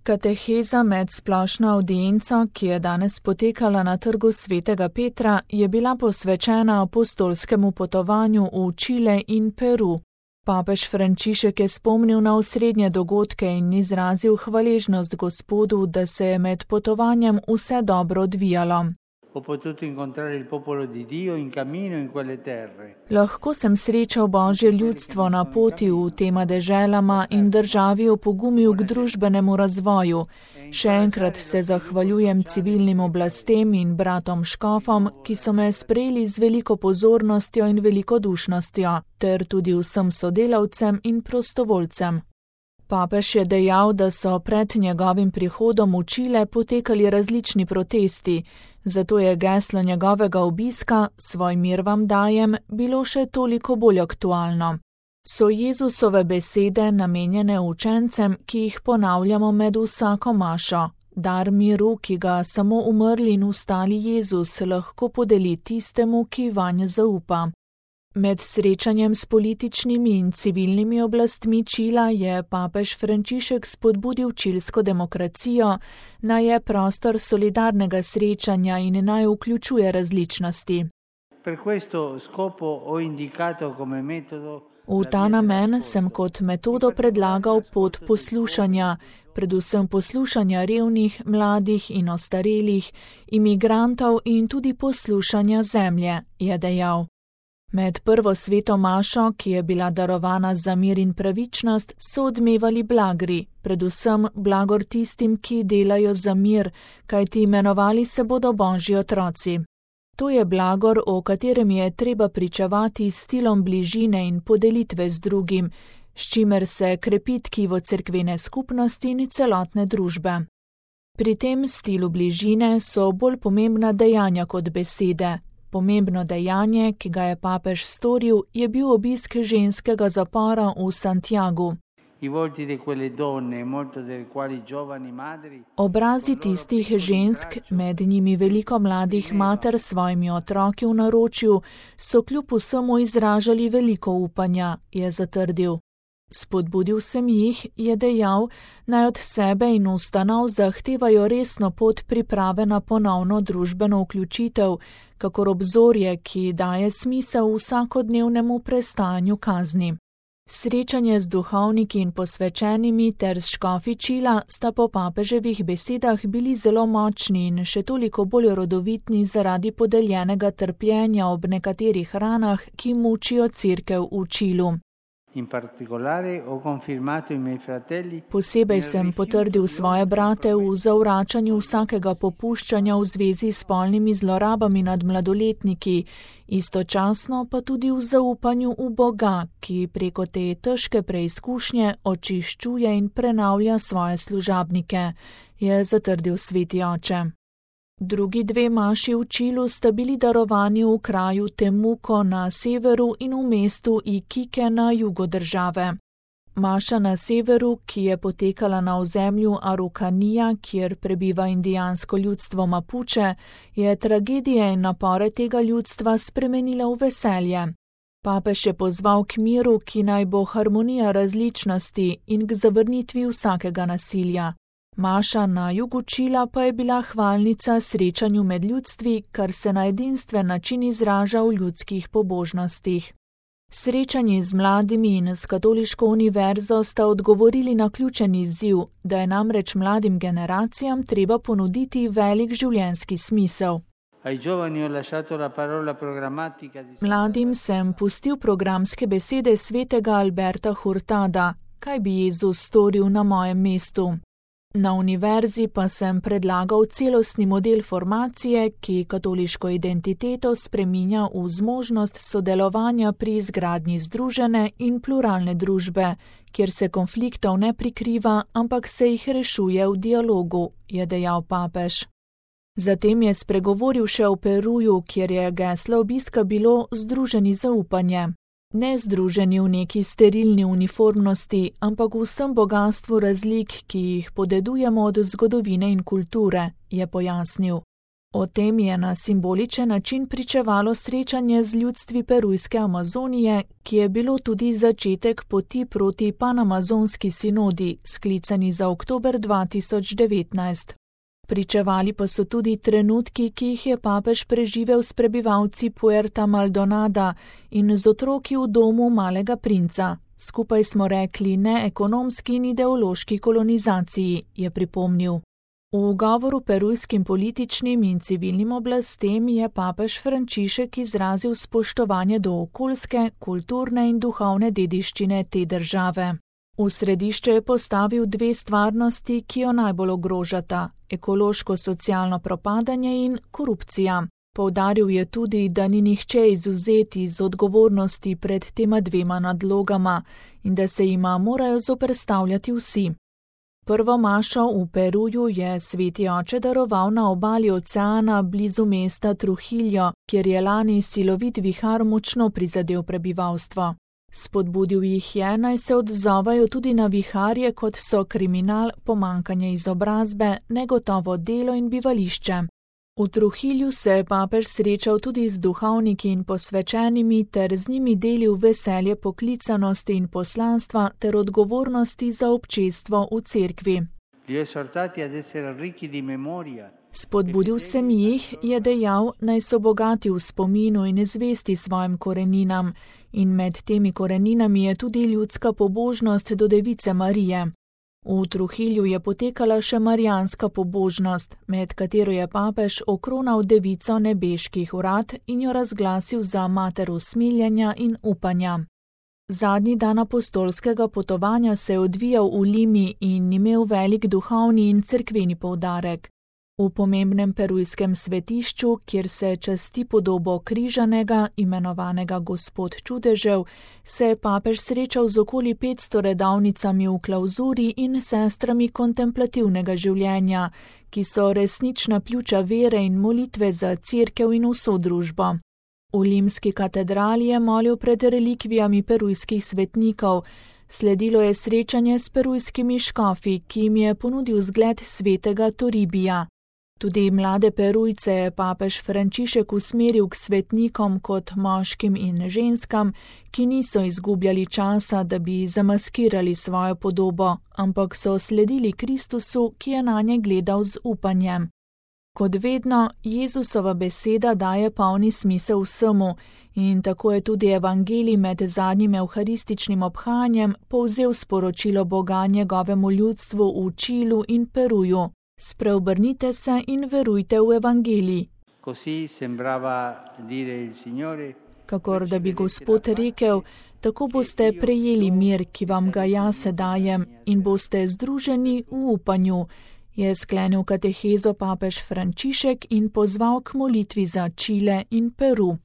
Kateheza med splošno avdienco, ki je danes potekala na trgu Svetega Petra, je bila posvečena apostolskemu potovanju v Čile in Peru. Papež Frančišek je spomnil na osrednje dogodke in izrazil hvaležnost Gospodu, da se je med potovanjem vse dobro odvijalo. Lahko sem srečal Božje ljudstvo na poti v tema deželama in državi opogumil k družbenemu razvoju. Še enkrat se zahvaljujem civilnim oblastem in bratom škofom, ki so me sprejeli z veliko pozornostjo in velikodušnostjo, ter tudi vsem sodelavcem in prostovoljcem. Papež je dejal, da so pred njegovim prihodom v Čile potekali različni protesti, zato je geslo njegovega obiska "Svoj mir vam dajem" bilo še toliko bolj aktualno. So Jezusove besede namenjene učencem, ki jih ponavljamo med vsako mašo. Dar miru, ki ga samo umrli in vstali Jezus lahko podeli tistemu, ki vanj zaupa. Med srečanjem s političnimi in civilnimi oblastmi Čila je papež Frančišek spodbudil čilsko demokracijo, naj je prostor solidarnega srečanja in naj vključuje različnosti. V ta namen sem kot metodo predlagal pot poslušanja, predvsem poslušanja revnih, mladih in ostarelih, imigrantov in tudi poslušanja zemlje, je dejal. Med prvo sveto mašo, ki je bila darovana za mir in pravičnost, so odmevali blagri, predvsem blagor tistim, ki delajo za mir, kajti imenovali se bodo Božji otroci. To je blagor, o katerem je treba pričevati s stilom bližine in podelitve z drugim, s čimer se krepi tkivo cerkvene skupnosti in celotne družbe. Pri tem stilu bližine so bolj pomembna dejanja kot besede. Pomembno dejanje, ki ga je papež storil, je bil obisk ženskega zapora v Santiagu. Obrazi tistih žensk, med njimi veliko mladih mater s svojimi otroki v naročju, so kljub vsemu izražali veliko upanja, je zatrdil. Spodbudil sem jih, je dejal, naj od sebe in ustanov zahtevajo resno pot priprave na ponovno družbeno vključitev, kakor obzorje, ki daje smisel vsakodnevnemu prestajanju kazni. Srečanje z duhovniki in posvečenimi ter s škofi Čila sta po papeževih besedah bili zelo močni in še toliko bolj rodovitni zaradi podeljenega trpljenja ob nekaterih ranah, ki mučijo cerkev v Čilu. Posebej sem potrdil svoje brate v zavračanju vsakega popuščanja v zvezi s spolnimi zlorabami nad mladoletniki, istočasno pa tudi v zaupanju v Boga, ki preko te težke preizkušnje očiščuje in prenavlja svoje služabnike, je zatrdil sveti oče. Drugi dve maši v Čilu sta bili darovani v kraju Temuco na severu in v mestu Iquique na jugu države. Maša na severu, ki je potekala na ozemlju Arucanija, kjer prebiva indijansko ljudstvo Mapuche, je tragedije in napore tega ljudstva spremenila v veselje. Papež je pozval k miru, ki naj bo harmonija različnosti in k zavrnitvi vsakega nasilja. Maša na jugu Čila pa je bila hvalnica srečanju med ljudstvi, kar se na edinstven način izraža v ljudskih pobožnostih. Srečanji z mladimi in s katoliško univerzo sta odgovorili na ključen izziv, da je namreč mladim generacijam treba ponuditi velik življenjski smisel. Mladim sem pustil programske besede svetega Alberta Hurtada, kaj bi Jezus storil na mojem mestu. Na univerzi pa sem predlagal celostni model formacije, ki katoliško identiteto spreminja v zmožnost sodelovanja pri izgradnji združene in pluralne družbe, kjer se konfliktov ne prikriva, ampak se jih rešuje v dialogu, je dejal papež. Zatem je spregovoril še o Peruju, kjer je geslo obiska bilo združeni zaupanje. Ne združeni v neki sterilni uniformnosti, ampak v vsem bogastvu razlik, ki jih podedujemo od zgodovine in kulture, je pojasnil. O tem je na simboličen način pričevalo srečanje z ljudstvi perujske Amazonije, ki je bilo tudi začetek poti proti panamazonski sinodi, sklicani za oktober 2019. Pričevali pa so tudi trenutki, ki jih je papež preživel s prebivalci Puerta Maldonada in z otroki v domu malega princa. Skupaj smo rekli ne ekonomski in ideološki kolonizaciji, je pripomnil. V govoru perujskim političnim in civilnim oblastem je papež Frančišek izrazil spoštovanje do okoljske, kulturne in duhovne dediščine te države. V središče je postavil dve stvarnosti, ki jo najbolj ogrožata: ekološko-socialno propadanje in korupcija. Poudaril je tudi, da ni nihče izvzet iz odgovornosti pred tema dvema nadlogama in da se jima morajo zoperstavljati vsi. Prvo mašo v Peruju je sveti oče daroval na obali oceana blizu mesta Trujillo, kjer je lani silovit vihar močno prizadel prebivalstvo. Spodbudil jih je, naj se odzovajo tudi na viharje, kot so kriminal, pomanjkanje izobrazbe, negotovo delo in bivališče. V Trujillu se je papež srečal tudi z duhovniki in posvečenimi ter z njimi delil veselje poklicanosti in poslanstva ter odgovornosti za občestvo v cerkvi. Spodbudil sem jih, je dejal, naj so bogati v spominu in zvesti svojim koreninam, in med temi koreninami je tudi ljudska pobožnost do Device Marije. V Trujillu je potekala še marijanska pobožnost, med katero je papež okronal devico nebeških vrat in jo razglasil za mater usmiljenja in upanja. Zadnji dan apostolskega potovanja se je odvijal v Limi in imel velik duhovni in cerkveni poudarek. V pomembnem perujskem svetišču, kjer se časti podobo križanega, imenovanega Gospod čudežev, se je papež srečal z okoli 500 redovnicami v klauzuri in sestrami kontemplativnega življenja, ki so resnična pljuča vere in molitve za cerkev in vso družbo. V limski katedrali je molil pred relikvijami perujskih svetnikov. Sledilo je srečanje s perujskimi škofi, ki jim je ponudil zgled svetega Toribija. Tudi mlade Perujce je papež Frančišek usmeril k svetnikom kot moškim in ženskam, ki niso izgubljali časa, da bi zamaskirali svojo podobo, ampak so sledili Kristusu, ki je nanje gledal z upanjem. Kot vedno, Jezusova beseda daje polni smisel vsemu in tako je tudi evangelij med zadnjim evharističnim obhajanjem povzel sporočilo Boga njegovemu ljudstvu v Čilu in Peruju. Spreobrnite se in verujte v evangelij. Kakor da bi Gospod rekel, tako boste prejeli mir, ki vam ga jaz dajem, in boste združeni v upanju, je sklenil katehezo papež Frančišek in pozval k molitvi za Čile in Peru.